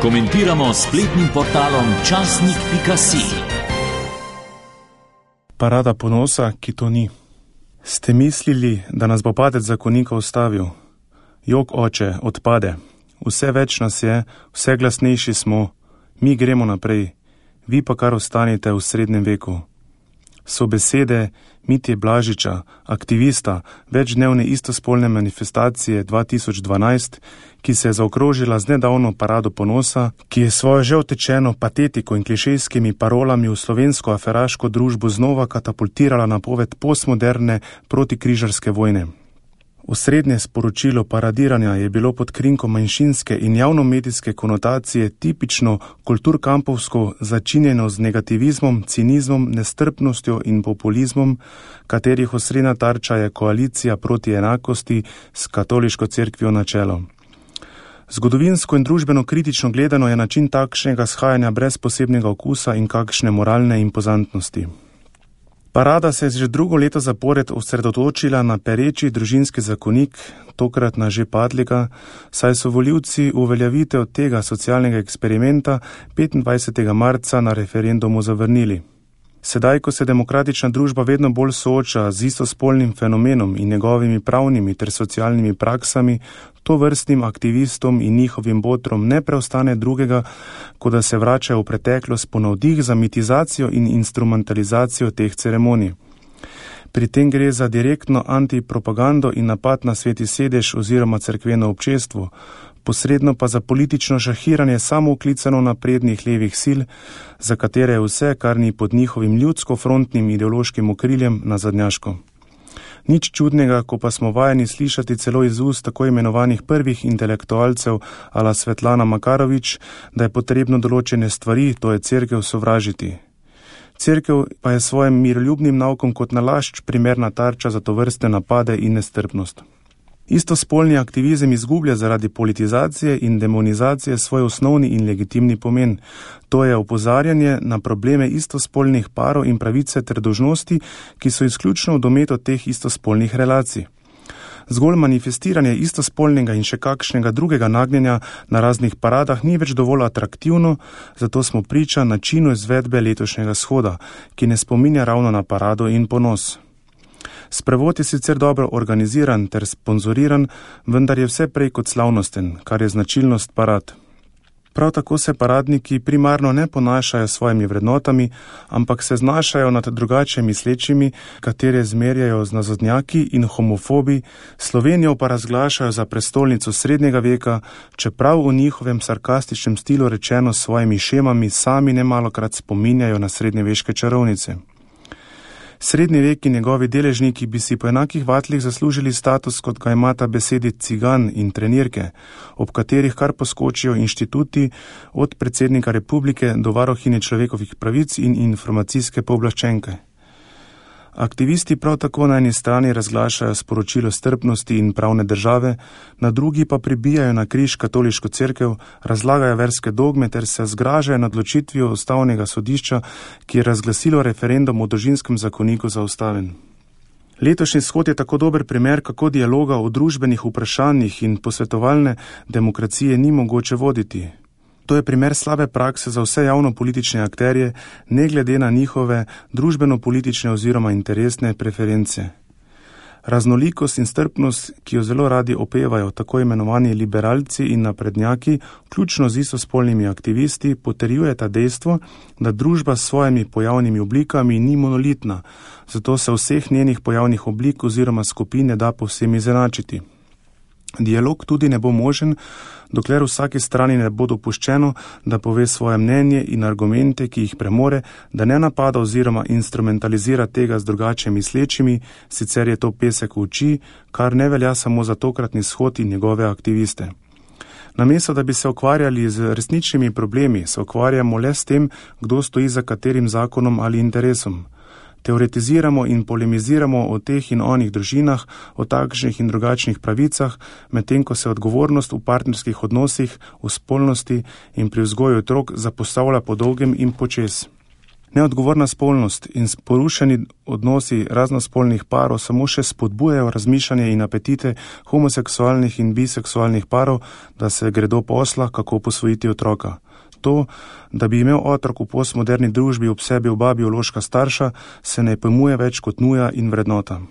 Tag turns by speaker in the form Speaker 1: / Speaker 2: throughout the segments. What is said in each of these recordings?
Speaker 1: Komentiramo s spletnim portalom časnik.si.
Speaker 2: Parada ponosa, ki to ni. Ste mislili, da nas bo padec zakonika ustavil? Jok, oče, odpade. Vse več nas je, vse glasnejši smo, mi gremo naprej, vi pa kar ostanete v srednjem veku. So besede Mitje Blažiča, aktivista večdnevne istospolne manifestacije 2012, ki se je zaokrožila z nedavno parado ponosa, ki je svojo že utečeno patetiko in klišejskimi parolami v slovensko aferaško družbo znova katapultirala na poved postmoderne protikrižarske vojne. Osrednje sporočilo paradiranja je bilo pod krinko manjšinske in javnomedijske konotacije tipično kulturkampovsko začinjeno z negativizmom, cinizmom, nestrpnostjo in populizmom, katerih osrednja tarča je koalicija proti enakosti s katoliško cerkvijo na čelo. Zgodovinsko in družbeno kritično gledano je način takšnega shajanja brez posebnega okusa in kakšne moralne impozantnosti. Parada se je že drugo leto zapored osredotočila na pereči družinski zakonik, tokrat na že padlega, saj so volivci uveljavitev tega socialnega eksperimenta 25. marca na referendumu zavrnili. Sedaj, ko se demokratična družba vedno bolj sooča z istospolnim fenomenom in njegovimi pravnimi ter socialnimi praksami, tovrstnim aktivistom in njihovim botrom ne preostane drugega, kot da se vračajo v preteklost po navdih za mitizacijo in instrumentalizacijo teh ceremonij. Pri tem gre za direktno antipropagando in napad na sveti sedež oziroma cerkveno občestvo, posredno pa za politično šahiranje samooklicano naprednih levih sil, za katere je vse, kar ni pod njihovim ljudsko-frontnim ideološkim okriljem, nazadnjaško. Nič čudnega, ko pa smo vajeni slišati celo iz ust tako imenovanih prvih intelektualcev ala Svetlana Makarovič, da je potrebno določene stvari, to je cerkev, sovražiti. Cerkev pa je svojim miroljubnim naukom kot nalašč primerna tarča za tovrstne napade in nestrpnost. Istospolni aktivizem izgublja zaradi politizacije in demonizacije svoj osnovni in legitimni pomen. To je opozarjanje na probleme istospolnih parov in pravice ter dolžnosti, ki so izključno v dometu teh istospolnih relacij. Zgolj manifestiranje istospolnega in še kakšnega drugega nagnjenja na raznih paradah ni več dovolj atraktivno, zato smo priča načinu izvedbe letošnjega shoda, ki ne spominja ravno na parado in ponos. Sprevod je sicer dobro organiziran ter sponzoriran, vendar je vse prej kot slavnosten, kar je značilnost parad. Prav tako se paradniki primarno ne ponašajo s svojimi vrednotami, ampak se znašajo nad drugače mislečimi, katere zmerjajo z nazadnjaki in homofobi, Slovenijo pa razglašajo za prestolnico srednjega veka, čeprav v njihovem sarkastičnem stilu rečeno s svojimi šemami sami nemalokrat spominjajo na srednjeveške čarovnice. Srednji vek in njegovi deležniki bi si po enakih vatlih zaslužili status, kot ga imata besedi cigan in trenirke, ob katerih kar poskočijo inštituti od predsednika republike do varuhinje človekovih pravic in informacijske pooblaščenke. Aktivisti prav tako na eni strani razglašajo sporočilo strpnosti in pravne države, na drugi pa pribijajo na križ katoliško cerkev, razlagajo verske dogme ter se zgražajo nad odločitvijo ustavnega sodišča, ki je razglasilo referendum o družinskem zakoniku za ustaven. Letošnji shod je tako dober primer, kako dialoga o družbenih vprašanjih in posvetovalne demokracije ni mogoče voditi. To je primer slabe prakse za vse javno-politične akterje, ne glede na njihove družbeno-politične oziroma interesne preference. Raznolikost in strpnost, ki jo zelo radi opevajo tako imenovani liberalci in naprednjaki, vključno z istospolnimi aktivisti, potrjujeta dejstvo, da družba s svojimi pojavnimi oblikami ni monolitna, zato se vseh njenih pojavnih oblik oziroma skupin ne da povsem izenačiti. Dialog tudi ne bo možen, dokler vsaki strani ne bo dopuščeno, da pove svoje mnenje in argumente, ki jih premore, da ne napada oziroma instrumentalizira tega z drugače mislečimi, sicer je to pesek v oči, kar ne velja samo za tokratni shod in njegove aktiviste. Namesto da bi se ukvarjali z resničnimi problemi, se ukvarjamo le s tem, kdo stoji za katerim zakonom ali interesom. Teoretiziramo in polemiziramo o teh in onih družinah, o takšnih in drugačnih pravicah, medtem ko se odgovornost v partnerskih odnosih, v spolnosti in pri vzgoju otrok zapostavlja po dolgem in počez. Neodgovorna spolnost in porušeni odnosi raznospolnih parov samo še spodbujajo razmišljanje in apetite homoseksualnih in biseksualnih parov, da se gredo posla, kako posvojiti otroka. To, da bi imel otrok v postmoderni družbi ob sebi oba biološka starša, se ne pojmuje več kot nuja in vrednota.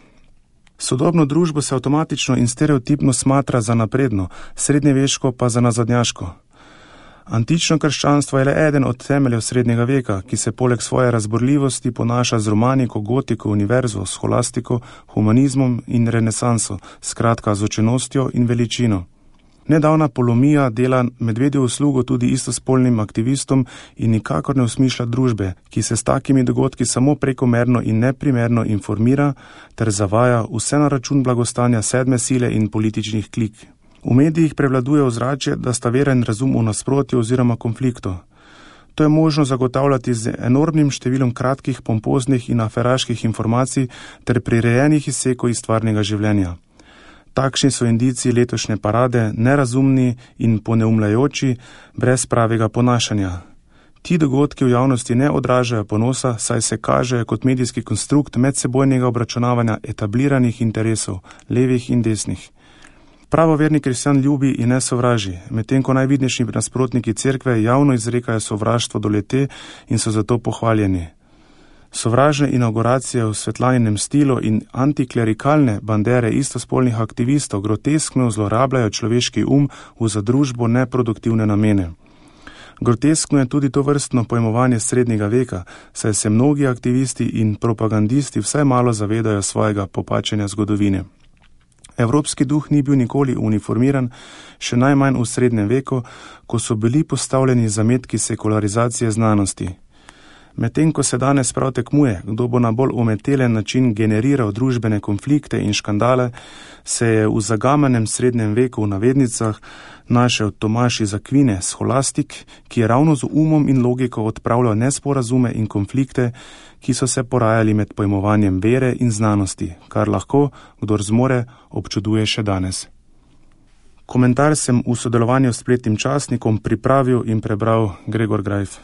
Speaker 2: Sodobno družbo se avtomatično in stereotipno smatra za napredno, srednjeveško pa za nazadnjaško. Antično krščanstvo je le eden od temeljev srednjega veka, ki se poleg svoje razborljivosti ponaša z romaniko, gotiko, univerzo, scholastiko, humanizmom in renesanso, skratka z učenostjo in veličino. Nedavna polomija dela medvedjo uslugo tudi istospolnim aktivistom in nikakor ne osmišlja družbe, ki se s takimi dogodki samo prekomerno in neprimerno informira ter zavaja vse na račun blagostanja sedme sile in političnih klik. V medijih prevladuje ozračje, da sta vera in razum v nasprotju oziroma konfliktu. To je možno zagotavljati z enormnim številom kratkih, pompoznih in aferaških informacij ter prirejenih izsekov iz stvarnega življenja. Takšni so indici letošnje parade, nerazumni in poneumljajoči, brez pravega ponašanja. Ti dogodki v javnosti ne odražajo ponosa, saj se kažejo kot medijski konstrukt medsebojnega obračunavanja etabliranih interesov, levih in desnih. Pravoverni kristjan ljubi in ne sovraži, medtem ko najvidnejši nasprotniki cerkve javno izrekajo sovraštvo do le-te in so zato pohvaljeni. Sovražne inauguracije v Svetlaninem stilu in antiklerikalne bandere istospolnih aktivistov groteskno zlorabljajo človeški v za družbo neproduktivne namene. Groteskno je tudi to vrstno pojmovanje srednjega veka, saj se mnogi aktivisti in propagandisti vsaj malo zavedajo svojega popačenja zgodovine. Evropski duh ni bil nikoli uniformiran, še najmanj v srednjem veku, ko so bili postavljeni zametki sekularizacije znanosti. Medtem ko se danes prav tekmuje, kdo bo na bolj umetelen način generiral družbene konflikte in škandale, se je v zagamenem srednjem veku v navednicah našel Tomaž iz Akvine, scholastik, ki je ravno z umom in logiko odpravljal nesporazume in konflikte, ki so se porajali med pojmovanjem vere in znanosti, kar lahko, kdor zmore, občuduje še danes. Komentar sem v sodelovanju s spletnim časnikom pripravil in prebral Gregor Grajf.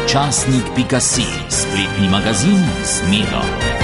Speaker 1: Časnik.si, spletni magazin z Medo.